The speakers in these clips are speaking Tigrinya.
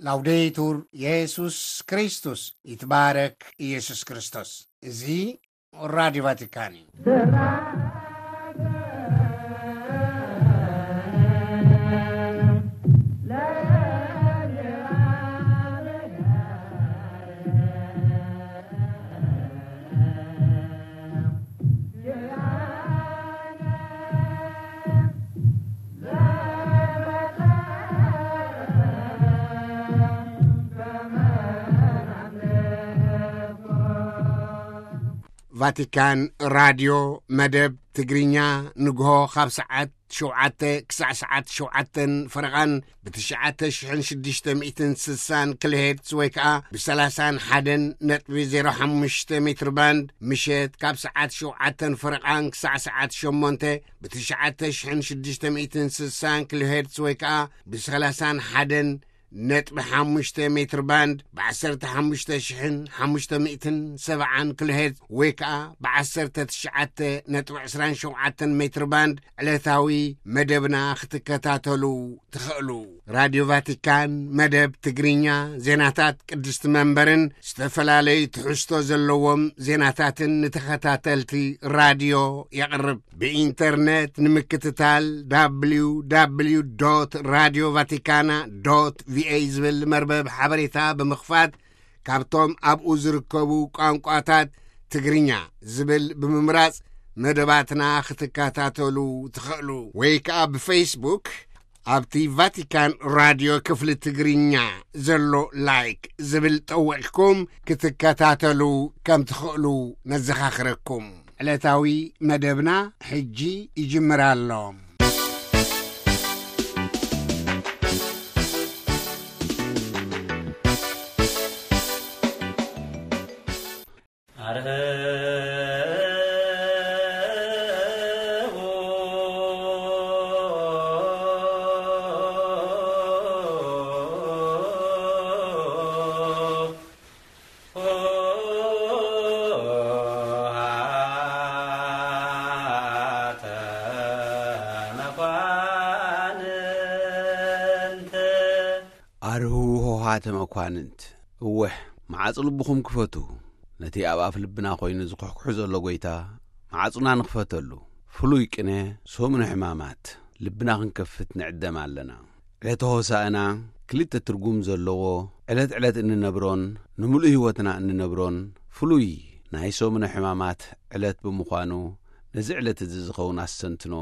ላውዴቱር የሱስ ክርስቶስ፣ ይትባረክ ኢየሱስ ክርስቶስ። እዚ ራዲዮ ቫቲካን እዩ። ቫቲካን ራድዮ መደብ ትግርኛ ንግሆ ካብ ሰዓት ሸውዓተ ክሳዕ ሰዓት ሸውዓተን ፈረቓን ብትሽዓተ ሽሕን ሽዱሽተ ሚእትን ስሳን ኪሎሄርትዝ ወይ ከኣ ብሰላሳን ሓደን ነጥቢ ዜሮ ሓሙሽተ ሜትር ባንድ፣ ምሸት ካብ ሰዓት ሸውዓተን ፈረቓን ክሳዕ ሰዓት ሸሞንተ ብትሽዓተ ሽሕን ሽዱሽተ ሚእትን ስሳን ኪሎሄርትዝ ወይ ከኣ ብሰላሳን ሓደን ነጥቢ ሓሙሽተ ሜትር ባንድ፣ ብዓሰርተ ሓሙሽተ ሽሕን ሓሙሽተ ሚእትን ሰብዓን ኪሎሄርትዝ ወይ ከኣ ብዓሰርተ ትሽዓተ ነጥቢ ዕስራን ሸውዓተን ሜትር ባንድ ዕለታዊ መደብና ክትከታተሉ ትኽእሉ። ራድዮ ቫቲካን መደብ ትግርኛ፣ ዜናታት ቅድስቲ መንበርን ዝተፈላለዩ ትሕዝቶ ዘለዎም ዜናታትን ንተኸታተልቲ ራድዮ የቕርብ። ብኢንተርነት ንምክትታል፣ www radio vaticana ቪኦኤ ዝብል መርበብ ሓበሬታ ብምኽፋት፣ ካብቶም ኣብኡ ዝርከቡ ቋንቋታት ትግርኛ ዝብል ብምምራጽ መደባትና ክትከታተሉ ትኽእሉ። ወይ ከኣ ብፌስቡክ ኣብቲ ቫቲካን ራድዮ ክፍሊ ትግርኛ ዘሎ ላይክ ዝብል ጠዊቕኩም ክትከታተሉ ከም ትኽእሉ ነዘኻኽረኩም። ዕለታዊ መደብና ሕጂ ይጅምር ኣሎ። ኣርህቡ ሆሃተ መኳንንት። ኣርህዉ ሆሃተ መኳንንት። እወ፣ መዓጹ ልብኹም ክፈቱ። ነቲ ኣብ ኣፍ ልብና ኮይኑ ዝኹሕኩሑ ዘሎ ጐይታ፣ መዓጹና ንኽፈተሉ። ፍሉይ ቅነ፣ ሰሙነ ሕማማት፣ ልብና ክንከፍት ንዕደም ኣለና። ዕለተ ሆሳእና፣ ክልተ ትርጉም ዘለዎ፣ ዕለት ዕለት እንነብሮን፣ ንምሉእ ህይወትና እንነብሮን፣ ፍሉይ ናይ ሰሙነ ሕማማት ዕለት ብምዃኑ፣ ነዚ ዕለት እዚ ዝኸውን ኣስተንትኖ፣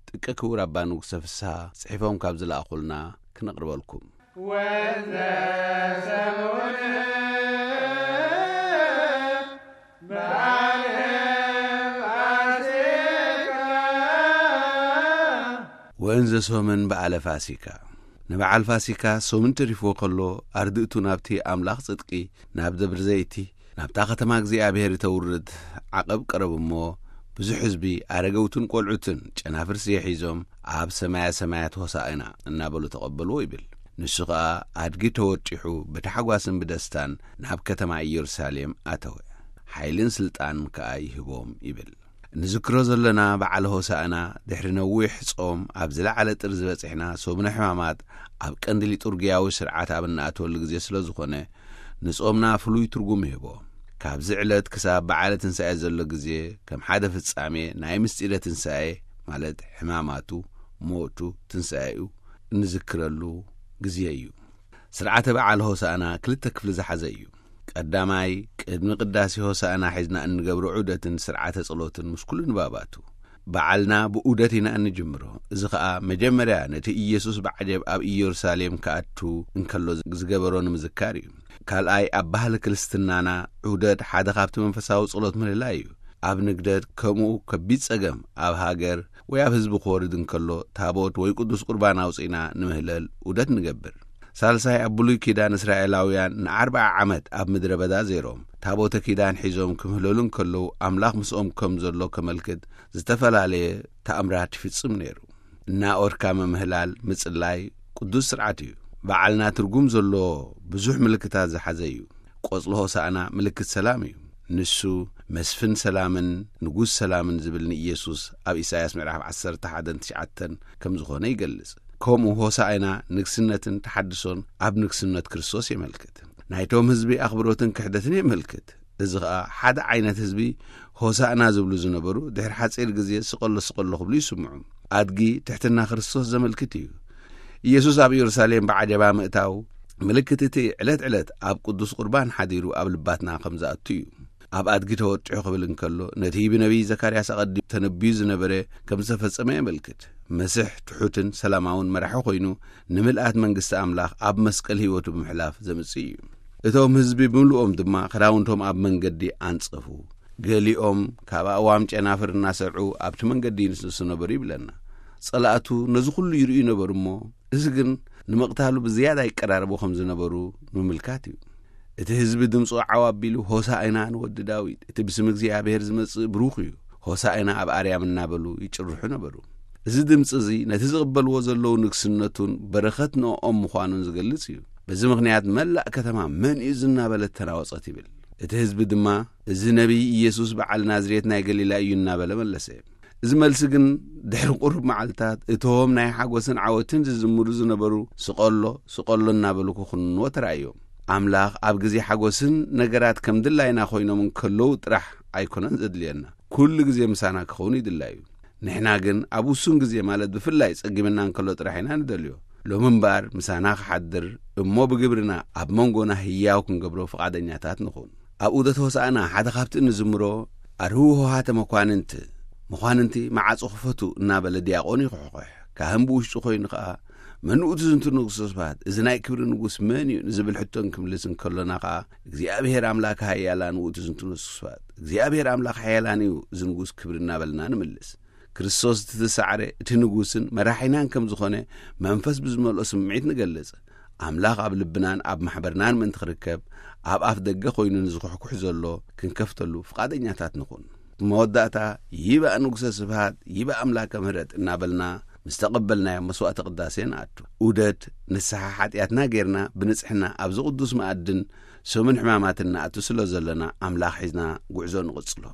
ጥቀ ክቡር ኣባ ንጉሰ ፍስሃ፣ ጽሒፎም ካብ ዝለኣኹልና ክነቕርበልኩም። ወንዘ ሰሙን በዓል ፋሲካ። ወእንዘ ሶምን በዓለ ፋሲካ። ንበዓል ፋሲካ ሶምን ተሪፍዎ ከሎ፣ ኣርድእቱ ናብቲ ኣምላኽ ጽድቂ፣ ናብ ደብሪ ዘይቲ፣ ናብታ ከተማ እግዚኣብሔር እተውርድ ዓቐብ ቀረቡ እሞ፣ ብዙሕ ህዝቢ፣ ኣረገውትን ቆልዑትን ጨናፍር ስየ ሒዞም ኣብ ሰማያ ሰማያት ሆሳዕና እናበሉ ተቐበልዎ ይብል። ንሱ ኸኣ ኣድጊ ተወጢሑ ብታሕጓስን ብደስታን ናብ ከተማ ኢየሩሳሌም ኣተወ። ሓይልን ስልጣን ከኣ ይህቦም ይብል። ንዝክሮ ዘለና በዓል ሆሳዕና ድሕሪ ነዊሕ ጾም ኣብ ዝለዓለ ጥርዚ በጺሕና፣ ሰሙነ ሕማማት ኣብ ቀንዲ ሊጡርግያዊ ስርዓት ኣብ እንኣትወሉ ግዜ ስለ ዝኾነ፣ ንጾምና ፍሉይ ትርጉም ይህቦ። ካብዚ ዕለት ክሳብ በዓለ ትንሳኤ ዘሎ ግዜ ከም ሓደ ፍጻሜ ናይ ምስጢረ ትንሳኤ፣ ማለት ሕማማቱ፣ ሞቱ፣ ትንሳኤኡ እንዝክረሉ ግዜ እዩ። ስርዓተ በዓል ሆሳእና ክልተ ክፍሊ ዝሓዘ እዩ። ቀዳማይ፣ ቅድሚ ቅዳሴ ሆሳእና ሒዝና እንገብሮ ዑደትን ስርዓተ ጸሎትን ምስ ኩሉ ንባባቱ። በዓልና ብዑደት ኢና እንጅምሮ። እዚ ኸኣ መጀመርያ ነቲ ኢየሱስ ብዓጀብ ኣብ ኢየሩሳሌም ክኣቱ እንከሎ ዝገበሮ ንምዝካር እዩ። ካልኣይ፣ ኣብ ባህሊ ክርስትናና ዑደት ሓደ ካብቲ መንፈሳዊ ጸሎት ምህልላ እዩ። ኣብ ንግደት ከምኡ ከቢድ ጸገም ኣብ ሃገር ወይ ኣብ ህዝቢ ክወርድ እንከሎ፣ ታቦት ወይ ቅዱስ ቁርባን ኣውጺእና ንምህለል ዑደት ንገብር። ሳልሳይ፣ ኣብ ብሉይ ኪዳን እስራኤላውያን ንኣርብዓ ዓመት ኣብ ምድረ በዳ ዜሮም ታቦተ ኪዳን ሒዞም ክምህለሉ እንከለዉ፣ ኣምላኽ ምስኦም ከም ዘሎ ከመልክት ዝተፈላለየ ተኣምራት ይፍጽም ነይሩ። እናኦርካ ምምህላል፣ ምጽላይ፣ ቅዱስ ስርዓት እዩ። በዓልና ትርጉም ዘለዎ ብዙሕ ምልክታት ዝሓዘ እዩ። ቆጽሊ ሆሳዕና ምልክት ሰላም እዩ። ንሱ መስፍን ሰላምን ንጉስ ሰላምን ዝብል ንኢየሱስ ኣብ ኢሳይያስ ምዕራፍ ዓሰርተ ሓደን ትሽዓተን ከም ዝኾነ ይገልጽ። ከምኡ ሆሳዕና ንግስነትን ተሓድሶን ኣብ ንግስነት ክርስቶስ የመልክት። ናይቶም ህዝቢ ኣኽብሮትን ክሕደትን የመልክት። እዚ ኸኣ ሓደ ዓይነት ህዝቢ ሆሳዕና ዝብሉ ዝነበሩ ድሕሪ ሓጺር ግዜ ስቐሎ ስቐሎ ክብሉ ይስምዑ። ኣድጊ ትሕትና ክርስቶስ ዘመልክት እዩ። ኢየሱስ ኣብ ኢየሩሳሌም ብዓጀባ ምእታው ምልክት እቲ ዕለት ዕለት ኣብ ቅዱስ ቁርባን ሓዲሩ ኣብ ልባትና ከም ዝኣቱ እዩ። ኣብ ኣድጊ ተወጢሑ ክብል እንከሎ ነቲ ብነቢይ ዘካርያስ ኣቐዲሙ ተነብዩ ዝነበረ ከም ዝተፈጸመ የመልክት። መስሕ ትሑትን ሰላማውን መራሒ ኮይኑ ንምልኣት መንግስቲ ኣምላኽ ኣብ መስቀል ህይወቱ ብምሕላፍ ዘምጽእ እዩ። እቶም ህዝቢ ብምልኦም ድማ ክዳውንቶም ኣብ መንገዲ ኣንጸፉ። ገሊኦም ካብ ኣእዋም ጨናፍር እናሰርዑ ኣብቲ መንገዲ ይንስንሱ ነበሩ ይብለና። ጸላእቱ ነዚ ኩሉ ይርእዩ ነበሩ እሞ፣ እዚ ግን ንምቕታሉ ብዝያዳ ይቀራረቡ ከም ዝነበሩ ምምልካት እዩ። እቲ ህዝቢ ድምፁ ዓው ኣቢሉ፣ "ሆሳዕና ንወዲ ዳዊት፣ እቲ ብስም እግዚኣብሔር ዝመጽእ ብሩኽ እዩ፣ ሆሳዕና ኣብ ኣርያም" እናበሉ ይጭርሑ ነበሩ። እዚ ድምፂ እዚ ነቲ ዝቕበልዎ ዘለዉ ንግስነቱን በረኸት ንኦም ምዃኑን ዝገልጽ እዩ። በዚ ምኽንያት መላእ ከተማ "መን እዩ እዚ?" እናበለት ተናወጸት ይብል። እቲ ህዝቢ ድማ "እዚ ነቢይ ኢየሱስ በዓል ናዝሬት ናይ ገሊላ እዩ" እናበለ መለሰ። እዚ መልሲ ግን ድሕሪ ቁሩብ መዓልታት እቶም ናይ ሓጎስን ዓወትን ዝዝምሩ ዝነበሩ "ስቐሎ፣ ስቐሎ" እናበሉ ክኹንንዎ ተራእዮም። ኣምላኽ ኣብ ግዜ ሓጎስን ነገራት ከም ድላይና ኮይኖም እንከለዉ ጥራሕ ኣይኮነን ዘድልየና፣ ኩሉ ግዜ ምሳና ክኸውን ይድላዩ። ንሕና ግን ኣብ ውሱን ግዜ፣ ማለት ብፍላይ ጸጊምና እንከሎ ጥራሕ ኢና ንደልዮ። ሎሚ እምበኣር ምሳና ክሓድር እሞ ብግብርና ኣብ መንጎና ህያው ክንገብሮ ፍቓደኛታት ንኹን። ኣብ ዑደት ሆሳዕና ሓደ ካብቲ እንዝምሮ "ኣርህዉ ሆሃተ መኳንንት፣ መኳንንቲ መዓጹ ክፈቱ" እናበለ ዲያቆን ይኹሕኩሕ። ካህን ብውሽጡ ኮይኑ ከኣ "መን ውእቱ ዝንቱ ንጉሥ ተስፋት? እዚ ናይ ክብሪ ንጉሥ መን እዩ?" ንዝብል ሕቶ እንክምልስ እንከሎና ከኣ "እግዚኣብሔር ኣምላክ ሃያላን ውእቱ ዝንቱ ንጉሥ ተስፋት፣ እግዚኣብሔር ኣምላክ ሓያላን እዩ እዚ ንጉሥ ክብሪ" እናበልና ንምልስ። ክርስቶስ እቲ ዝሰዓረ፣ እቲ ንጉስን መራሒናን ከም ዝኾነ መንፈስ ብዝመልኦ ስምዒት ንገልጽ። ኣምላኽ ኣብ ልብናን ኣብ ማሕበርናን ምእንቲ ክርከብ፣ ኣብ ኣፍ ደገ ኮይኑ ንዝኹሕኩሕ ዘሎ ክንከፍተሉ ፍቓደኛታት ንኹን። መወዳእታ፣ "ይባእ ንጉሰ ስብሃት፣ ይባእ ኣምላከ ምህረት" እናበልና ምስ ተቐበልናዮ መስዋዕተ ቅዳሴ ንኣቱ። ዑደት ንስሓ ሓጢኣትና ጌርና ብንጽሕና ኣብዚ ቅዱስ መኣድን ሰሙን ሕማማትን ንኣቱ ስለ ዘለና፣ ኣምላኽ ሒዝና ጉዕዞ ንቕጽሎ።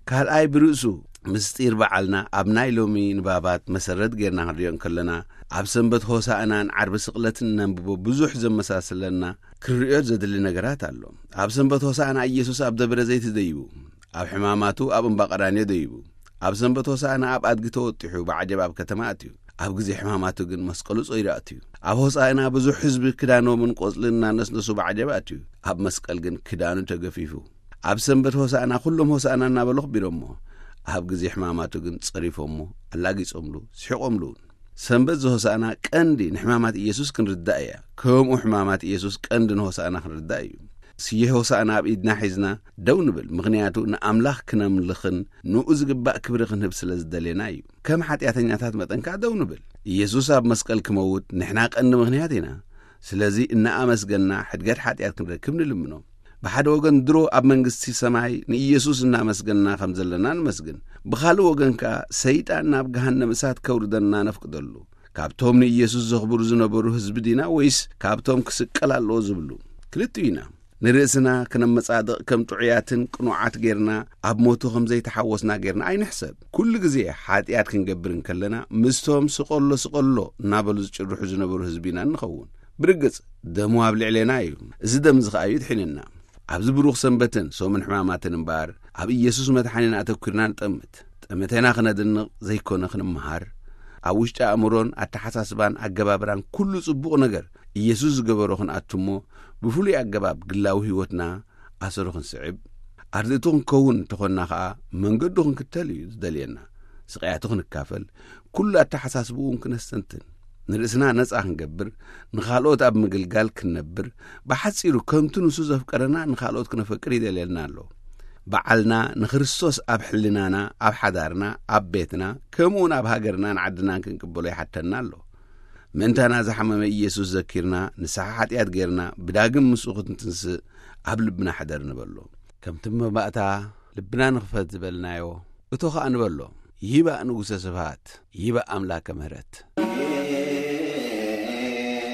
ካልኣይ ብርእሱ ምስጢር በዓልና ኣብ ናይ ሎሚ ንባባት መሰረት ጌርና ክንሪኦ እንከለና፣ ኣብ ሰንበት ሆሳዕናን ዓርቢ ስቕለትን ነንብቦ ብዙሕ ዘመሳስለና ክንሪኦ ዘድሊ ነገራት ኣሎ። ኣብ ሰንበት ሆሳዕና ኢየሱስ ኣብ ደብረ ዘይት ደይቡ፣ ኣብ ሕማማቱ ኣብ እምባ ቀራንዮ ደይቡ። ኣብ ሰንበት ሆሳዕና ኣብ ኣድጊ ተወጢሑ ብዓጀብ ኣብ ከተማ ኣትዩ። ኣብ ግዜ ሕማማቱ ግን መስቀሉ ጾይሩ ኣትዩ። ኣብ ሆሳዕና ብዙሕ ህዝቢ ክዳኖምን ቆጽልን እናነስነሱ ብዓጀብ ኣትዩ። ኣብ መስቀል ግን ክዳኑ ተገፊፉ። ኣብ ሰንበት ሆሳዕና ኩሎም ሆሳዕና እናበሉ ኣኽቢሮሞ። ኣብ ግዜ ሕማማቱ ግን ጸሪፎሞ፣ ኣላጊጾምሉ፣ ስሒቖምሉ እውን። ሰንበት ዘሆሳዕና ቀንዲ ንሕማማት ኢየሱስ ክንርዳእ እያ። ከምኡ ሕማማት ኢየሱስ ቀንዲ ንሆሳዕና ክንርዳእ እዩ። ስየ ሆሳዕና ኣብ ኢድና ሒዝና ደው ንብል፣ ምኽንያቱ ንኣምላኽ ክነምልኽን ንኡ ዝግባእ ክብሪ ክንህብ ስለ ዝደሌና እዩ። ከም ሓጢኣተኛታት መጠን ከኣ ደው ንብል። ኢየሱስ ኣብ መስቀል ክመውት ንሕና ቀንዲ ምኽንያት ኢና። ስለዚ እናኣመስገንና ሕድገት ሓጢኣት ክንረክብ ንልምኖ። ብሓደ ወገን ድሮ ኣብ መንግስቲ ሰማይ ንኢየሱስ እናመስገንና ከም ዘለና ንመስግን። ብኻልእ ወገን ከኣ ሰይጣን ናብ ገሃነም እሳት ከውርደና ነፍቅደሉ። ካብቶም ንኢየሱስ ዘኽብሩ ዝነበሩ ህዝቢ ዲና ወይስ ካብቶም ክስቀል ኣለዎ ዝብሉ? ክልቲኡ ኢና። ንርእስና ክነመጻድቕ ከም ጥዑያትን ቅኑዓት ጌርና ኣብ ሞቱ ከም ዘይተሓወስና ጌርና ኣይንሕሰብ። ኩሉ ግዜ ሓጢኣት ክንገብር እንከለና ምስቶም ስቐሎ ስቐሎ እናበሉ ዝጭርሑ ዝነበሩ ህዝቢ ኢና እንኸውን። ብርግጽ ደሙ ኣብ ልዕሌና እዩ። እዚ ደም እዚ ከኣ እዩ ድሒንና። ኣብዚ ብሩኽ ሰንበትን ሰሙን ሕማማትን እምበኣር ኣብ ኢየሱስ መድሓኒና ኣተኲርና ንጠምት። ጠመቴና ክነድንቕ ዘይኮነ ክንመሃር፣ ኣብ ውሽጢ ኣእምሮን ኣተሓሳስባን ኣገባብራን ኩሉ ጽቡቕ ነገር ኢየሱስ ዝገበሮ ክንኣቱ እሞ፣ ብፍሉይ ኣገባብ ግላዊ ህይወትና ኣሰሩ ክንስዕብ፣ ኣርድእቱ ክንከውን እንተኾንና ኸኣ መንገዱ ክንክተል እዩ ዝደልየና። ስቓያቱ ክንካፈል፣ ኩሉ ኣተሓሳስብኡ እውን ክነስተንትን፣ ንርእስና ነጻ ክንገብር፣ ንኻልኦት ኣብ ምግልጋል ክንነብር፣ ብሓጺሩ ከምቲ ንሱ ዘፍቀረና ንኻልኦት ክነፈቅር ይደልየልና ኣሎ። በዓልና ንክርስቶስ ኣብ ሕልናና፣ ኣብ ሓዳርና፣ ኣብ ቤትና፣ ከምኡውን ኣብ ሃገርናን ዓድናን ክንቅበሎ ይሓተና ኣሎ። ምእንታና ዝሓመመ ኢየሱስ ዘኪርና፣ ንስሓ ሓጢኣት ጌርና፣ ብዳግም ምስኡ ክትንስእ ኣብ ልብና ሕደር ንበሎ። ከምቲ መባእታ ልብና ንኽፈት ዝበልናዮ፣ እቶ ኸኣ ንበሎ፣ ይባእ ንጉሰ ስብሃት፣ ይባእ ኣምላከ ምህረት።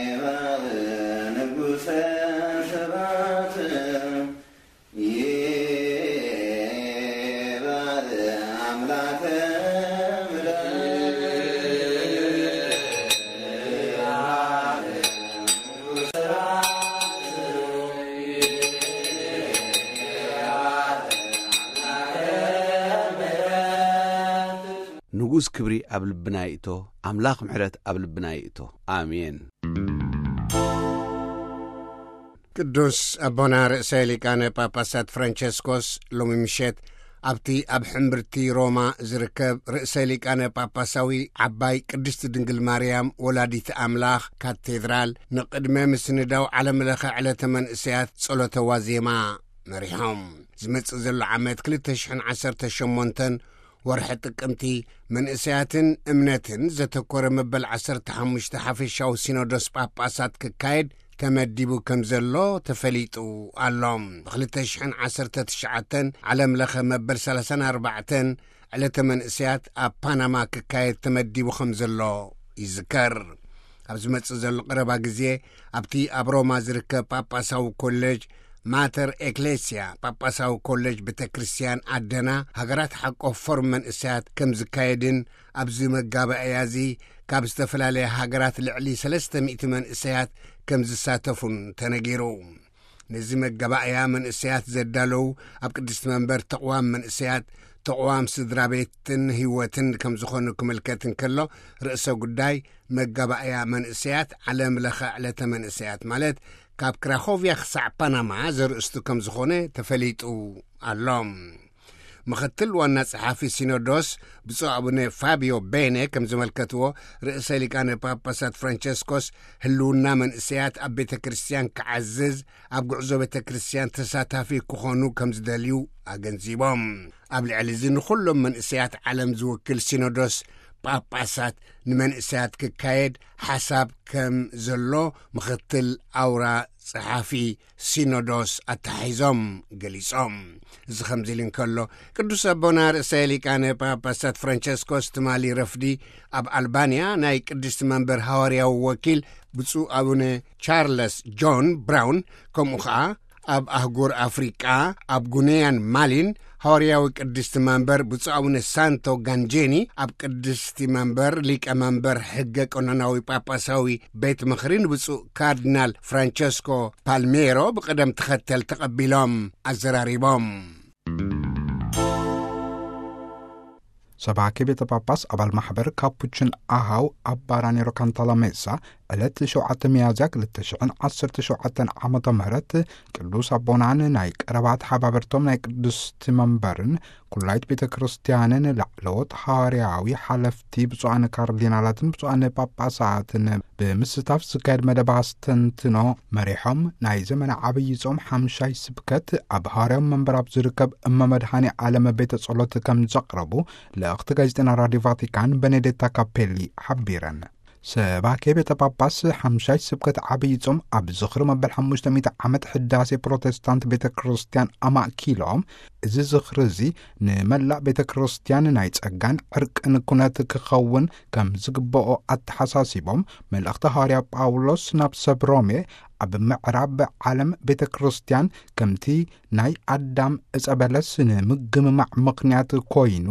ይባእ ንጉሰ ስብሃት፣ ይባእ ኣምላከ ምህረት። ንኡስ ክብሪ ኣብ ልብና ይእቶ። ኣምላኽ ምሕረት ኣብ ልብና ይእቶ። ኣሜን። ቅዱስ ኣቦና ርእሰ ሊቃነ ጳጳሳት ፍራንቸስኮስ ሎሚ ምሸት ኣብቲ ኣብ ሕምብርቲ ሮማ ዝርከብ ርእሰ ሊቃነ ጳጳሳዊ ዓባይ ቅድስቲ ድንግል ማርያም ወላዲት ኣምላኽ ካቴድራል ንቕድመ ምስንዳው ዓለም ለኸ ዕለተ መንእሰያት ጸሎተ ዋዜማ መሪሖም። ዝመጽእ ዘሎ ዓመት ክልተ ሽሕን ዓሰርተ ሸሞንተን ወርሒ ጥቅምቲ መንእሰያትን እምነትን ዘተኮረ መበል ዓሰርተ ሓሙሽተ ሓፈሻዊ ሲኖዶስ ጳጳሳት ክካየድ ተመዲቡ ከም ዘሎ ተፈሊጡ ኣሎ። ብ2019 ዓለም ለኸ መበል ሰላሳን ኣርባዕተን ዕለተ መንእሰያት ኣብ ፓናማ ክካየድ ተመዲቡ ከም ዘሎ ይዝከር። ኣብ ዝመጽእ ዘሎ ቀረባ ግዜ ኣብቲ ኣብ ሮማ ዝርከብ ጳጳሳዊ ኮሌጅ ማተር ኤክሌስያ ጳጳሳዊ ኮሌጅ ቤተ ክርስቲያን ኣደና ሃገራት ሓቆፍ ፎርም መንእሰያት ከም ዝካየድን ኣብዚ መጋባእያ እዚ ካብ ዝተፈላለያ ሃገራት ልዕሊ ሰለስተ ሚእቲ መንእሰያት ከም ዝሳተፉን ተነጊሩ። ነዚ መጋባእያ መንእሰያት ዘዳለዉ ኣብ ቅድስቲ መንበር ተቕዋም መንእሰያት፣ ተቕዋም ስድራ ቤትን ህይወትን ከም ዝኾኑ ክምልከት እንከሎ፣ ርእሰ ጉዳይ መጋባእያ መንእሰያት ዓለም ለኸ ዕለተ መንእሰያት ማለት ካብ ክራኾቭያ ክሳዕ ፓናማ ዘርእስቱ ከም ዝኾነ ተፈሊጡ ኣሎ። ምኽትል ዋና ጸሓፊ ሲኖዶስ ብፁዕ ኣቡነ ፋቢዮ ቤነ ከም ዘመልከትዎ፣ ርእሰ ሊቃነ ጳጳሳት ፍራንቸስኮስ ህልውና መንእሰያት ኣብ ቤተ ክርስቲያን ክዓዝዝ፣ ኣብ ጉዕዞ ቤተ ክርስቲያን ተሳታፊ ክኾኑ ከም ዝደልዩ ኣገንዚቦም። ኣብ ልዕሊ እዚ ንኹሎም መንእሰያት ዓለም ዝውክል ሲኖዶስ ጳጳሳት ንመንእሰያት ክካየድ ሓሳብ ከም ዘሎ ምኽትል ኣውራ ጸሓፊ ሲኖዶስ ኣተሓሒዞም ገሊጾም። እዚ ከምዚ ኢሉ እንከሎ፣ ቅዱስ ኣቦና ርእሰ ሊቃነ ጳጳሳት ፍራንቸስኮስ ትማሊ ረፍዲ ኣብ ኣልባንያ ናይ ቅድስቲ መንበር ሃዋርያዊ ወኪል ብፁዕ ኣቡነ ቻርለስ ጆን ብራውን፣ ከምኡ ኸዓ ኣብ ኣህጉር ኣፍሪቃ ኣብ ጉንያን ማሊን ሃዋርያዊ ቅድስቲ መንበር ብፁዕ ኣቡነ ሳንቶ ጋንጄኒ፣ ኣብ ቅድስቲ መንበር ሊቀ መንበር ሕገ ቀኖናዊ ጳጳሳዊ ቤት ምኽሪ ንብፁዕ ካርዲናል ፍራንቸስኮ ፓልሜሮ ብቕደም ተኸተል ተቐቢሎም ኣዘራሪቦም። ሰባኪ ቤተ ጳጳስ ኣባል ማሕበር ካፑችን ኣሃው ኣባ ራኒሮ ካንታላሜሳ ዕለት ሸውዓተ ሚያዝያ ክልተ ሽሕን ዓሰርተ ሸውዓተን ዓመተ ምህረት ቅዱስ ኣቦናን ናይ ቀረባት ሓባበርቶም ናይ ቅድስቲ መንበርን ኩላይት ቤተ ክርስቲያንን ላዕለዎት ሃዋርያዊ ሓለፍቲ ብፁዓን ካርዲናላትን ብፁዓን ጳጳሳትን ብምስታፍ ዝካየድ መደብ ኣስተንትኖ መሪሖም፣ ናይ ዘመነ ዓብዪ ጾም ሓምሻይ ስብከት ኣብ ሃዋርያዊ መንበር ኣብ ዝርከብ እመ መድኃኔ ዓለም ቤተ ጸሎት ከም ዘቕረቡ ልእኽቲ ጋዜጠና ራዲዮ ቫቲካን በኔዴታ ካፔሊ ሓቢረን። ሰባኬ ቤተ ጳጳስ ሓምሻይ ስብከት ዓብዪ ጾም ኣብ ዝኽሪ መበል ሓሙሽተ ሚእቲ ዓመት ሕዳሴ ፕሮቴስታንት ቤተ ክርስቲያን ኣማእኪሎም፣ እዚ ዝኽሪ እዚ ንመላእ ቤተ ክርስቲያን ናይ ጸጋን ዕርቅን ኩነት ክኸውን ከም ዝግብኦ ኣተሓሳሲቦም፣ መልእኽቲ ሃዋርያ ጳውሎስ ናብ ሰብ ሮሜ ኣብ ምዕራብ ዓለም ቤተ ክርስቲያን ከምቲ ናይ ኣዳም ዕጸ በለስ ንምግምማዕ ምኽንያት ኮይኑ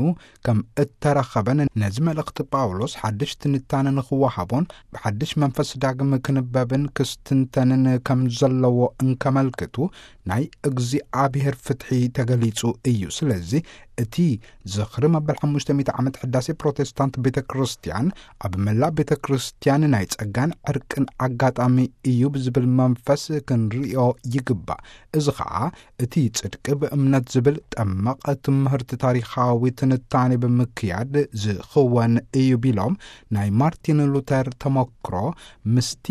ከም እተረኸበን፣ ነዚ መልእኽቲ ጳውሎስ ሓድሽ ትንታነ ንኽወሃቦን ብሓድሽ መንፈስ ዳግም ክንበብን ክስትንተንን ከም ዘለዎ እንከመልክቱ፣ ናይ እግዚኣብሔር ፍትሒ ተገሊጹ እዩ። ስለዚ እቲ ዝኽሪ መበል ሓሙሽተ ሚእቲ ዓመት ሕዳሴ ፕሮቴስታንት ቤተ ክርስቲያን ኣብ መላእ ቤተ ክርስቲያን ናይ ጸጋን ዕርቅን ኣጋጣሚ እዩ ብዝብል መንፈስ ክንርእዮ ይግባእ። እዚ ኸኣ እቲ ጽድቂ ብእምነት ዝብል ጠመቕ ትምህርቲ ታሪኻዊ ትንታኔ ብምክያድ ዝኽወን እዩ ቢሎም፣ ናይ ማርቲን ሉተር ተመክሮ ምስቲ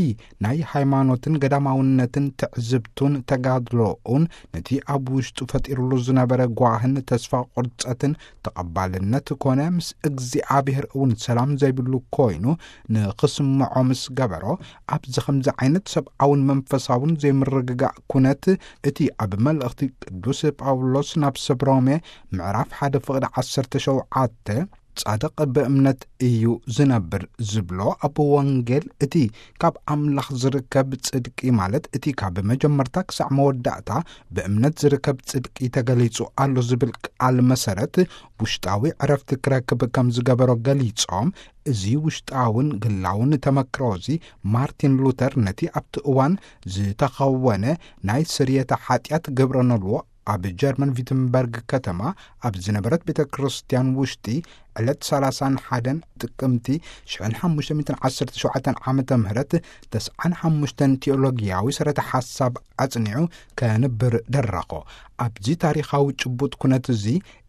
ናይ ሃይማኖትን ገዳማውነትን ትዕዝብቱን ተጋድሎኡን ነቲ ኣብ ውሽጡ ፈጢሩሉ ዝነበረ ጓህን ተስፋ ቁርጸትን ተቐባልነት ኮነ ምስ እግዚኣብሔር እውን ሰላም ዘይብሉ ኮይኑ ንኽስምዖ ምስ ገበሮ፣ ኣብዚ ከምዚ ዓይነት ሰብኣውን መንፈሳውን ዘይምርግጋእ ኩነት እቲ ኣብ መልእኽቲ ቅዱስ ጳውሎስ ናብ ሰብ ሮሜ ምዕራፍ ሓደ ፍቕዲ ዓሰርተ ሸውዓተ፣ ጻድቕ ብእምነት እዩ ዝነብር ዝብሎ ኣብ ወንጌል፣ እቲ ካብ ኣምላኽ ዝርከብ ጽድቂ ማለት እቲ ካብ መጀመርታ ክሳዕ መወዳእታ ብእምነት ዝርከብ ጽድቂ ተገሊጹ ኣሎ ዝብል ቃል መሰረት ውሽጣዊ ዕረፍቲ ክረክብ ከም ዝገበሮ ገሊጾም፣ እዚ ውሽጣውን ግላውን ተመክሮ እዚ ማርቲን ሉተር ነቲ ኣብቲ እዋን ዝተኸወነ ናይ ስርየተ ሓጢኣት ግብረ ነልዎ ኣብ ጀርመን ቪትንበርግ ከተማ ኣብ ዝነበረት ቤተ ክርስቲያን ውሽጢ ዕለት ሰላሳን ሓደን ጥቅምቲ ሽሕን ሓሙሽተ ሚእትን ዓሰርተ ሸውዓተን ዓመተ ምህረት ተስዓን ሓሙሽተን ቲኦሎጊያዊ ሰረተ ሓሳብ ኣጽኒዑ ከንብር ደረኾ። ኣብዚ ታሪኻዊ ጭቡጥ ኩነት እዚ፣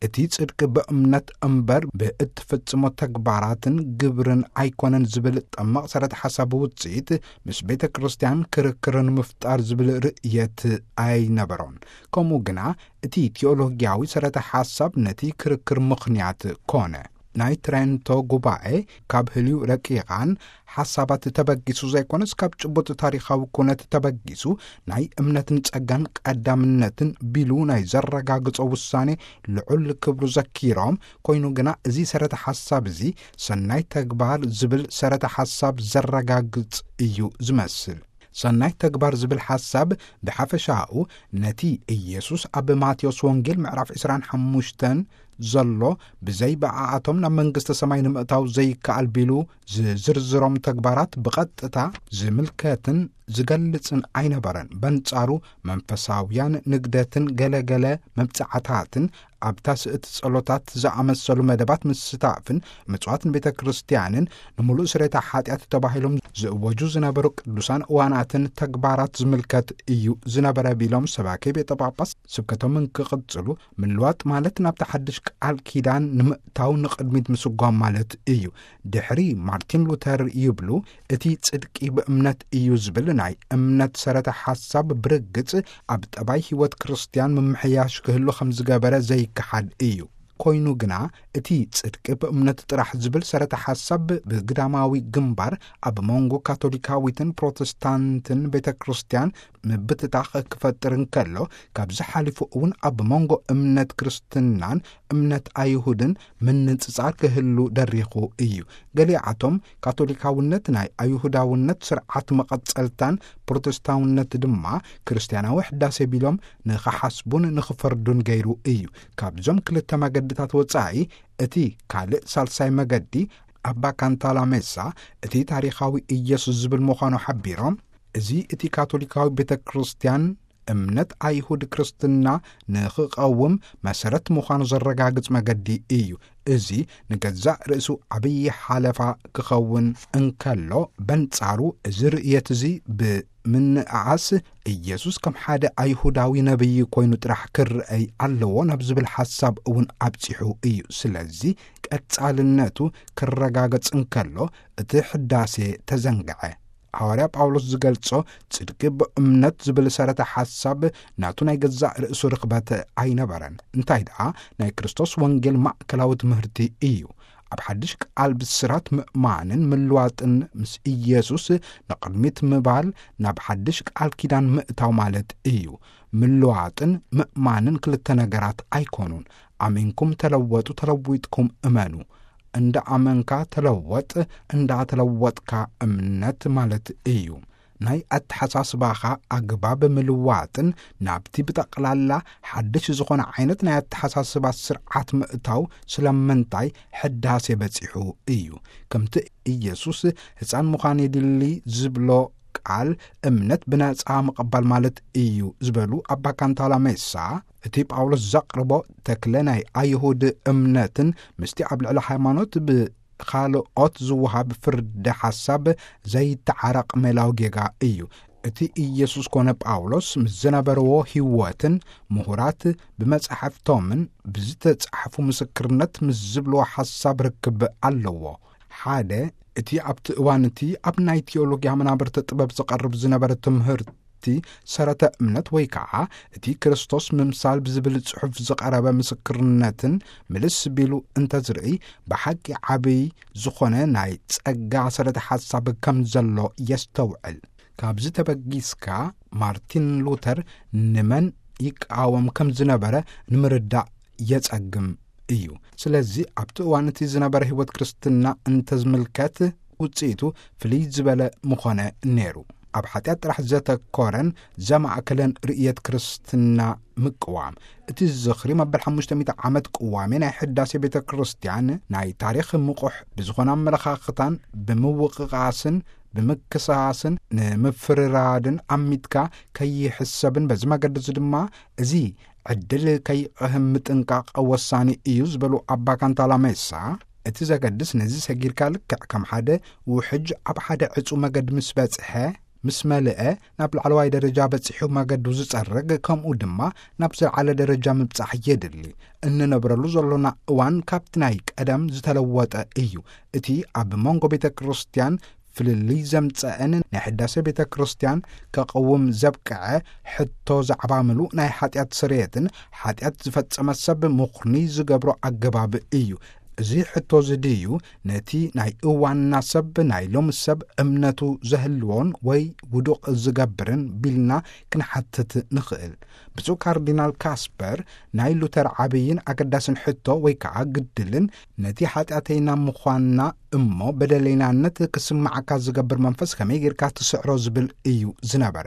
እቲ ጽድቂ ብእምነት እምበር ብእትፍጽሞ ተግባራትን ግብርን ኣይኮነን ዝብል ጠማቕ ሰረተ ሓሳብ ውጽኢት፣ ምስ ቤተ ክርስቲያን ክርክር ንምፍጣር ዝብል ርእየት ኣይነበሮን። ከምኡ ግና፣ እቲ ቲኦሎጊያዊ ሰረተ ሓሳብ ነቲ ክርክር ምኽንያት ኮነ። ናይ ትሬንቶ ጉባኤ ካብ ህልዩ ረቂቓን ሓሳባት ተበጊሱ ዘይኮነስ፣ ካብ ጭቡጥ ታሪኻዊ ኩነት ተበጊሱ፣ ናይ እምነትን ጸጋን ቀዳምነትን ቢሉ ናይ ዘረጋግጾ ውሳኔ ልዑል ክብሩ ዘኪሮም፣ ኮይኑ ግና፣ እዚ ሰረተ ሓሳብ እዚ ሰናይ ተግባር ዝብል ሰረተ ሓሳብ ዘረጋግጽ እዩ ዝመስል። ሰናይ ተግባር ዝብል ሓሳብ ብሓፈሻኡ ነቲ ኢየሱስ ኣብ ማቴዎስ ወንጌል ምዕራፍ ዕስራን ሓሙሽተን ዘሎ፣ ብዘይ ብኣኣቶም ናብ መንግስተ ሰማይ ንምእታው ዘይከኣል ቢሉ ዝዝርዝሮም ተግባራት ብቐጥታ ዝምልከትን ዝገልጽን ኣይነበረን። በንጻሩ፣ መንፈሳውያን ንግደትን ገለገለ መብጽዓታትን ኣብታ ስእቲ ጸሎታት ዝኣመሰሉ መደባት ምስታፍን ምጽዋት ንቤተ ክርስቲያንን ንምሉእ ስሬታ ሓጢኣት ተባሂሎም ዝእወጁ ዝነበሩ ቅዱሳን እዋናትን ተግባራት ዝምልከት እዩ ዝነበረ ቢሎም፣ ሰባኪ ቤተ ጳጳስ ስብከቶም እንክቕጽሉ፣ ምልዋጥ ማለት ናብቲ ሓድሽ ቃል ኪዳን ንምእታው ንቕድሚት ምስጓም ማለት እዩ። ድሕሪ ማርቲን ሉተር ይብሉ፣ እቲ ጽድቂ ብእምነት እዩ ዝብል ናይ እምነት ሰረተ ሓሳብ ብርግጽ ኣብ ጠባይ ህይወት ክርስትያን ምምሕያሽ ክህሉ ከም ዝገበረ ዘይከሓድ እዩ። ኮይኑ ግና፣ እቲ ጽድቂ ብእምነት ጥራሕ ዝብል ሰረተ ሓሳብ ብግዳማዊ ግንባር ኣብ መንጎ ካቶሊካዊትን ፕሮቴስታንትን ቤተ ክርስቲያን ምብትታኽ ክፈጥር እንከሎ፣ ካብዚ ሓሊፉ እውን ኣብ መንጎ እምነት ክርስትናን እምነት ኣይሁድን ምንጽጻር ክህሉ ደሪኹ እዩ። ገሊኣቶም ካቶሊካውነት ናይ ኣይሁዳውነት ስርዓት መቐጸልታን ፕሮቴስታውነት ድማ ክርስትያናዊ ሕዳሴ ቢሎም ንኽሓስቡን ንኽፈርዱን ገይሩ እዩ። ካብዞም ክልተ መገድታት ወጻኢ፣ እቲ ካልእ ሳልሳይ መገዲ፣ ኣባ ካንታላሜሳ፣ እቲ ታሪኻዊ ኢየሱስ ዝብል ምዃኑ ሓቢሮም፣ እዚ እቲ ካቶሊካዊ ቤተ ክርስቲያን እምነት ኣይሁድ ክርስትና ንኽቐውም መሰረት ምዃኑ ዘረጋግጽ መገዲ እዩ። እዚ ንገዛእ ርእሱ ዓብዪ ሓለፋ ክኸውን እንከሎ፣ በንጻሩ እዚ ርእየት እዚ ብምንእኣስ፣ ኢየሱስ ከም ሓደ ኣይሁዳዊ ነብዪ ኮይኑ ጥራሕ ክረኣይ ኣለዎ ናብ ዝብል ሓሳብ እውን ኣብጺሑ እዩ። ስለዚ ቀጻልነቱ ክረጋገጽ እንከሎ፣ እቲ ሕዳሴ ተዘንግዐ። ሃዋርያ ጳውሎስ ዝገልጾ ጽድቂ ብእምነት ዝብል ሰረተ ሓሳብ ናቱ ናይ ገዛእ ርእሱ ርኽበት ኣይነበረን። እንታይ ደኣ፣ ናይ ክርስቶስ ወንጌል ማእከላዊ ትምህርቲ እዩ። ኣብ ሓድሽ ቃል ብስራት ምእማንን ምልዋጥን ምስ ኢየሱስ ንቕድሚት ምባል ናብ ሓድሽ ቃል ኪዳን ምእታው ማለት እዩ። ምልዋጥን ምእማንን ክልተ ነገራት ኣይኮኑን። ኣሚንኩም ተለወጡ፣ ተለዊጥኩም እመኑ። እንዳ ኣመንካ ተለወጥ፣ እንዳ ተለወጥካ እምነት ማለት እዩ። ናይ ኣተሓሳስባኻ ኣግባብ ምልዋጥን ናብቲ ብጠቕላላ ሓድሽ ዝኾነ ዓይነት ናይ ኣተሓሳስባ ስርዓት ምእታው ስለምንታይ ሕዳሴ በጺሑ እዩ። ከምቲ ኢየሱስ ህፃን ምዃን የድሊ ዝብሎ ቃል እምነት ብነጻ ምቕባል ማለት እዩ ዝበሉ ኣባ ካንታላ ሜሳ፣ እቲ ጳውሎስ ዘቕርቦ ተክለ ናይ ኣይሁድ እምነትን ምስቲ ኣብ ልዕሊ ሃይማኖት ብኻልኦት ዝወሃብ ፍርዲ ሓሳብ ዘይተዓረቕ ሜላዊ ጌጋ እዩ። እቲ ኢየሱስ ኮነ ጳውሎስ ምስ ዝነበርዎ ህይወትን ምሁራት ብመጻሕፍቶምን ብዝተጻሕፉ ምስክርነት ምስ ዝብልዎ ሓሳብ ርክብ ኣለዎ። ሓደ፣ እቲ ኣብቲ እዋን እቲ ኣብ ናይ ቲዮሎጊያ መናብርቲ ጥበብ ዝቐርብ ዝነበረ ትምህርቲ ሰረተ እምነት ወይ ከዓ እቲ ክርስቶስ ምምሳል ብዝብል ጽሑፍ ዝቐረበ ምስክርነትን ምልስ ቢሉ እንተዝርኢ፣ ብሓቂ ዓብይ ዝኾነ ናይ ጸጋ ሰረተ ሓሳብ ከም ዘሎ የስተውዕል። ካብዚ ተበጊስካ ማርቲን ሉተር ንመን ይቃወም ከም ዝነበረ ንምርዳእ የጸግም እዩ። ስለዚ ኣብቲ እዋን እቲ ዝነበረ ህይወት ክርስትና እንተዝምልከት ውጽኢቱ ፍልይ ዝበለ ምኾነ ነይሩ። ኣብ ሓጢኣት ጥራሕ ዘተኮረን ዘማእከለን ርእየት ክርስትና ምቅዋም። እቲ ዝኽሪ መበል ሓሙሽተ ሚእቲ ዓመት ቅዋሜ ናይ ሕዳሴ ቤተ ክርስቲያን ናይ ታሪኽ ምቑሕ ብዝኾነ ኣመለኻኽታን ብምውቕቓስን ብምክስሳስን ንምፍርራድን ኣሚትካ ከይሕሰብን በዚ መገዲ እዚ ድማ እዚ ዕድል ከይቕህም ምጥንቃቕ ወሳኒ እዩ ዝበሉ ኣባ ካንታላ ሜሳ፣ እቲ ዘገድስ ነዚ ሰጊርካ ልክዕ ከም ሓደ ውሕጅ ኣብ ሓደ ዕጹ መገድ ምስ በጽሐ፣ ምስ መልአ፣ ናብ ላዕለዋይ ደረጃ በጺሑ መገዱ ዝጸርግ፣ ከምኡ ድማ ናብ ዝለዓለ ደረጃ ምብጻሕ የድሊ። እንነብረሉ ዘሎና እዋን ካብቲ ናይ ቀደም ዝተለወጠ እዩ። እቲ ኣብ መንጎ ቤተ ክርስቲያን ፍልልይ ዘምጸአን ናይ ሕዳሴ ቤተ ክርስቲያን ከቐውም ዘብቅዐ ሕቶ ዛዕባ ምሉእ ናይ ሓጢኣት ስርየትን ሓጢኣት ዝፈጸመ ሰብ ምኹኒ ዝገብሮ ኣገባብ እዩ። እዚ ሕቶ እዚ ድዩ ነቲ ናይ እዋንና ሰብ፣ ናይ ሎሚ ሰብ እምነቱ ዘህልዎን ወይ ውዱቕ ዝገብርን ቢልና ክንሓትት ንኽእል። ብፁዕ ካርዲናል ካስፐር ናይ ሉተር ዓብይን ኣገዳስን ሕቶ ወይ ከዓ ግድልን ነቲ ሓጢኣተይና ምዃንና እሞ በደለይናነት ክስምዓካ ዝገብር መንፈስ ከመይ ጌርካ ትስዕሮ ዝብል እዩ ዝነበረ።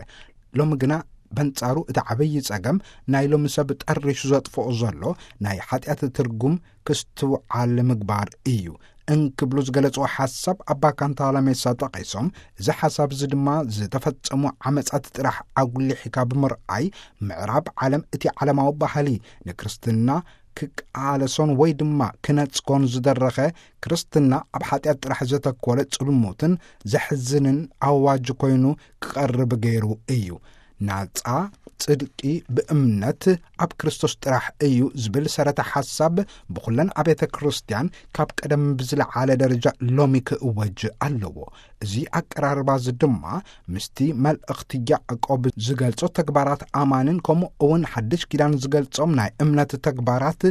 ሎሚ ግና በንጻሩ እቲ ዓብዪ ጸገም ናይ ሎሚ ሰብ ጠሪሹ ዘጥፍኦ ዘሎ ናይ ሓጢኣት ትርጉም ክስትውዓል ምግባር እዩ እንክብሉ ዝገለጽዎ ሓሳብ ኣባ ካንታላሜሳ ጠቒሶም፣ እዚ ሓሳብ እዚ ድማ ዝተፈጸሙ ዓመጻት ጥራሕ ኣጉሊሕካ ብምርኣይ ምዕራብ ዓለም እቲ ዓለማዊ ባህሊ ንክርስትና ክቃለሶን ወይ ድማ ክነጽጎን ዝደረኸ ክርስትና ኣብ ሓጢኣት ጥራሕ ዘተኮረ ጽልሙትን ዘሕዝንን ኣዋጅ ኮይኑ ክቐርብ ገይሩ እዩ። ናጻ ጽድቂ ብእምነት ኣብ ክርስቶስ ጥራሕ እዩ ዝብል ሰረተ ሓሳብ ብኹለን ኣብያተ ክርስቲያን ካብ ቀደም ብዝለዓለ ደረጃ ሎሚ ክእወጅ ኣለዎ። እዚ ኣቀራርባ እዚ ድማ ምስቲ መልእኽቲ ያዕቆብ ዝገልጾ ተግባራት ኣማንን ከምኡ እውን ሓድሽ ኪዳን ዝገልጾም ናይ እምነት ተግባራት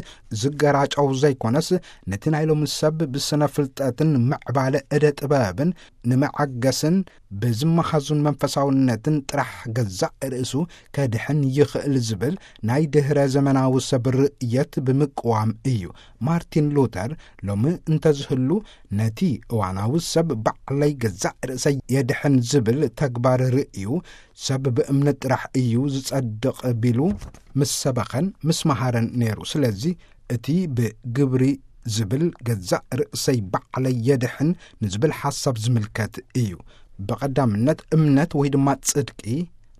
ዝገራጨው ዘይኮነስ፣ ነቲ ናይ ሎሚ ሰብ ብስነ ፍልጠትን ምዕባለ እደ ጥበብን ንመዓገስን ብዝመሃዙን መንፈሳውነትን ጥራሕ ገዛእ ርእሱ ከድሕን ይኽእል ዝብል ናይ ድህረ ዘመናዊ ሰብ ርእየት ብምቅዋም እዩ። ማርቲን ሉተር ሎሚ እንተዝህሉ፣ ነቲ እዋናዊ ሰብ ባዕለይ ገዛእ ርእሰይ የድሕን ዝብል ተግባር ርእዩ፣ ሰብ ብእምነት ጥራሕ እዩ ዝጸድቕ ቢሉ ምስ ሰበኸን ምስ መሃረን ነይሩ። ስለዚ እቲ ብግብሪ ዝብል ገዛእ ርእሰይ ባዕለይ የድሕን ንዝብል ሓሳብ ዝምልከት እዩ። ብቐዳምነት እምነት ወይ ድማ ጽድቂ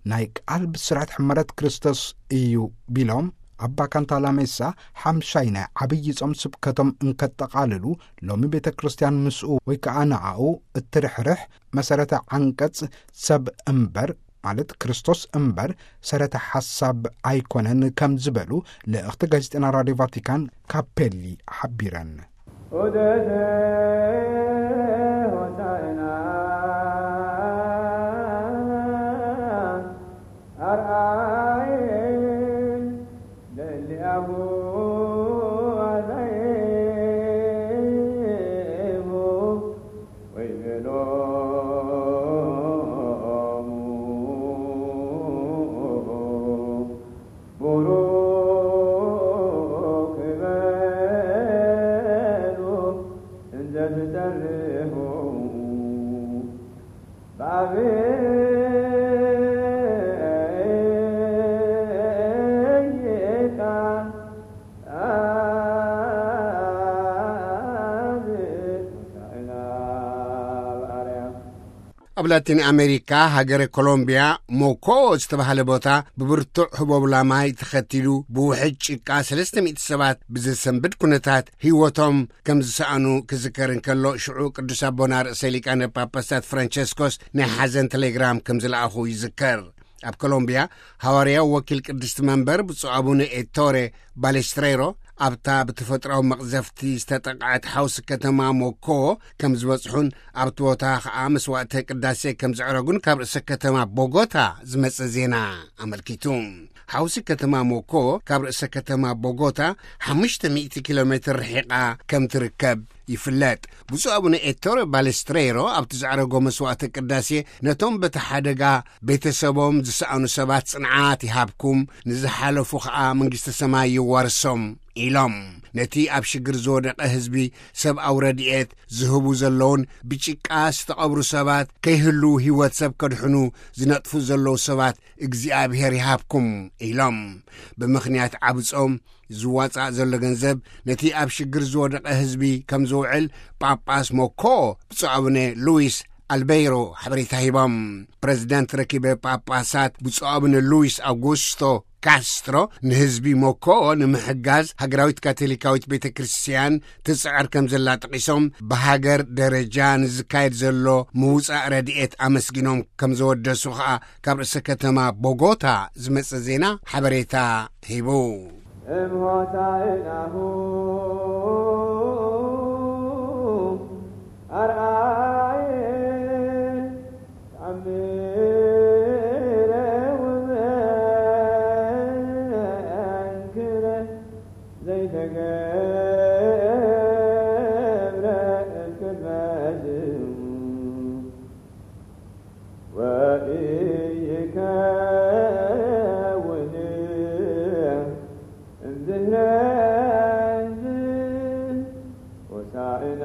ናይ ቃል ብስራት ሕመረት ክርስቶስ እዩ ቢሎም፣ ኣባ ካንታላሜሳ ሓምሻይ ናይ ዓብዪ ጾም ስብከቶም እንከጠቓልሉ፣ ሎሚ ቤተ ክርስቲያን ምስኡ ወይ ከኣ ንኣኡ እትርሕርሕ መሰረተ ዓንቀጽ ሰብ እምበር፣ ማለት ክርስቶስ እምበር፣ ሰረተ ሓሳብ ኣይኮነን ከም ዝበሉ ልእኽቲ ጋዜጠና ራድዮ ቫቲካን ካፔሊ ሓቢረን። ዑደተ ሆሳዕና ኣርኣየ ለእሊኣሁ ኣዛየሙ ወይቤሎሙ ቡሩክ በሉ እንዘ ትሰርሑ በአብይ ቃል አብ ሆሳዕና በአርያም። ኣብ ላቲን ኣሜሪካ ሃገረ ኮሎምቢያ ሞኮ ዝተባህለ ቦታ ብብርቱዕ ህቦብላ ማይ ተኸቲሉ ብውሕጅ ጭቃ ሰለስተ ሚእቲ ሰባት ብዘሰንብድ ኩነታት ህይወቶም ከም ዝሰኣኑ ክዝከር እንከሎ፣ ሽዑ ቅዱስ ኣቦና ርእሰ ሊቃነ ጳጳሳት ፍራንቸስኮስ ናይ ሓዘን ቴሌግራም ከም ዝለኣኹ ይዝከር። ኣብ ኮሎምቢያ ሃዋርያዊ ወኪል ቅድስቲ መንበር ብፁዕ ኣቡነ ኤቶሬ ባሌስትሬሮ ኣብታ ብተፈጥሮኣዊ መቕዘፍቲ ዝተጠቕዐት ሓውሲ ከተማ ሞኮ ከም ዝበጽሑን ኣብቲ ቦታ ኸኣ መስዋዕተ ቅዳሴ ከም ዘዕረጉን ካብ ርእሰ ከተማ ቦጎታ ዝመጸ ዜና ኣመልኪቱ። ሓውሲ ከተማ ሞኮ ካብ ርእሰ ከተማ ቦጎታ ሓሙሽተ ሚእቲ ኪሎ ሜትር ርሒቓ ከም ትርከብ ይፍለጥ። ብፁዕ ኣቡነ ኤቶሬ ባሌስትሬሮ ኣብቲ ዘዕረጎ መስዋዕተ ቅዳሴ ነቶም በቲ ሓደጋ ቤተሰቦም ዝሰኣኑ ሰባት ጽንዓት ይሃብኩም፣ ንዝሓለፉ ኸኣ መንግስተ ሰማይ ይዋርሶም ኢሎም። ነቲ ኣብ ሽግር ዝወደቐ ህዝቢ ሰብኣዊ ረድኤት ዝህቡ ዘለውን ብጭቃ ዝተቐብሩ ሰባት ከይህልዉ ህይወት ሰብ ከድሕኑ ዝነጥፉ ዘለዉ ሰባት እግዚኣብሔር ይሃብኩም ኢሎም። ብምኽንያት ዓቢ ጾም ዝዋጻእ ዘሎ ገንዘብ ነቲ ኣብ ሽግር ዝወደቐ ህዝቢ ከም ዝውዕል ጳጳስ ሞኮ ብፁዕ ኣቡነ ሉዊስ ኣልቤይሮ ሓበሬታ ሂቦም። ፕረዚደንት ረኪበ ጳጳሳት ብፁዕ ኣቡነ ሉዊስ ኣውጉስቶ ካስትሮ ንህዝቢ ሞኮኦ ንምሕጋዝ ሃገራዊት ካቶሊካዊት ቤተ ክርስቲያን ትጽዕር ከም ዘላ ጠቒሶም፣ ብሃገር ደረጃ ንዝካየድ ዘሎ ምውጻእ ረድኤት ኣመስጊኖም ከም ዘወደሱ ኸኣ ካብ ርእሰ ከተማ ቦጎታ ዝመጸ ዜና ሓበሬታ ሂቡ። እምሆታይናሁ ኣርኣየ ተኣምረ ወመንክረ ዘይተገብረ እምቅድመ ዝሙ ወኢይከውን እምድህረ ሆሳዕና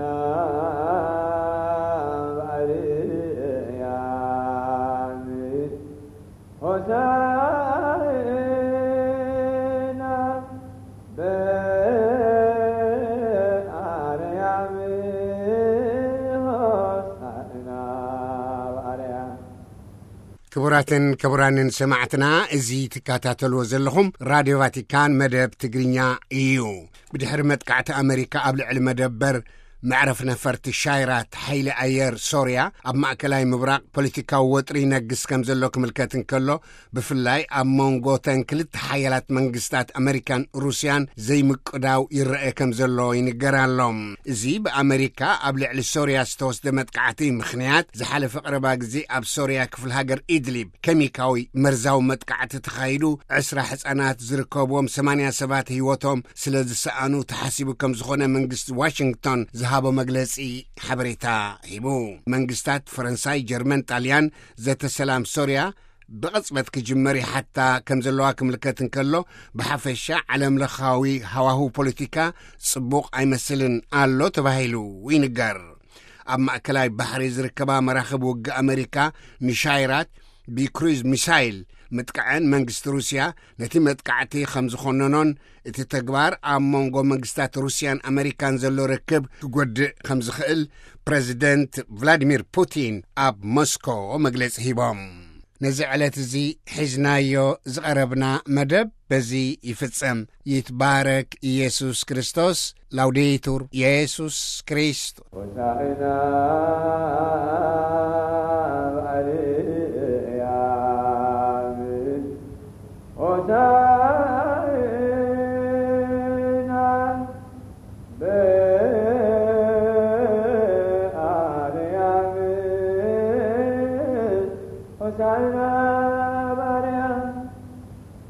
በኣርያም ሆሳዕና በኣርያም ሆሳዕና በኣርያም። ክቡራትን ክቡራንን ሰማዕትና፣ እዚ ትከታተልዎ ዘለኹም ራድዮ ቫቲካን መደብ ትግርኛ እዩ። ብድሕሪ መጥቃዕቲ ኣመሪካ ኣብ ልዕሊ መደበር መዕረፍ ነፈርቲ ሻይራት ሓይሊ ኣየር ሶርያ፣ ኣብ ማእከላይ ምብራቕ ፖለቲካዊ ወጥሪ ይነግስ ከም ዘሎ ክምልከት እንከሎ፣ ብፍላይ ኣብ መንጎ ተን ክልተ ሓያላት መንግስታት ኣመሪካን ሩስያን ዘይምቅዳው ይረአ ከም ዘሎ ይንገር ኣሎ። እዚ ብኣመሪካ ኣብ ልዕሊ ሶርያ ዝተወስደ መጥቃዕቲ ምኽንያት፣ ዝሓለፈ ቀረባ ግዜ ኣብ ሶርያ ክፍለ ሃገር ኢድሊብ ኬሚካዊ መርዛዊ መጥቃዕቲ ተኻይዱ ዕስራ ህጻናት ዝርከብዎም ሰማንያ ሰባት ህይወቶም ስለ ዝሰኣኑ ተሓሲቡ ከም ዝኾነ መንግስቲ ዋሽንግቶን ዝሃቦ መግለጺ ሓበሬታ ሂቡ። መንግስታት ፈረንሳይ፣ ጀርመን፣ ጣልያን ዘተ ሰላም ሶርያ ብቕጽበት ክጅመር ይሓታ ከም ዘለዋ ክምልከት እንከሎ፣ ብሓፈሻ ዓለምለኻዊ ሃዋሁ ፖለቲካ ጽቡቕ ኣይመስልን ኣሎ ተባሂሉ ይንገር። ኣብ ማእከላይ ባሕሪ ዝርከባ መራኽብ ውግእ ኣመሪካ ንሻይራት ብክሩዝ ሚሳይል ምጥቃዐን መንግስቲ ሩስያ ነቲ መጥቃዕቲ ከም ዝኾነኖን እቲ ተግባር ኣብ መንጎ መንግስታት ሩስያን ኣመሪካን ዘሎ ርክብ ክጎድእ ከም ዝኽእል ፕረዚደንት ቭላዲሚር ፑቲን ኣብ ሞስኮ መግለጺ ሂቦም። ነዚ ዕለት እዚ ሒዝናዮ ዝቐረብና መደብ በዚ ይፍጸም። ይትባረክ ኢየሱስ ክርስቶስ። ላውዴቱር ኢየሱስ ክርስቶስ። ሆሳዕና በኣርያም ሆሳዕና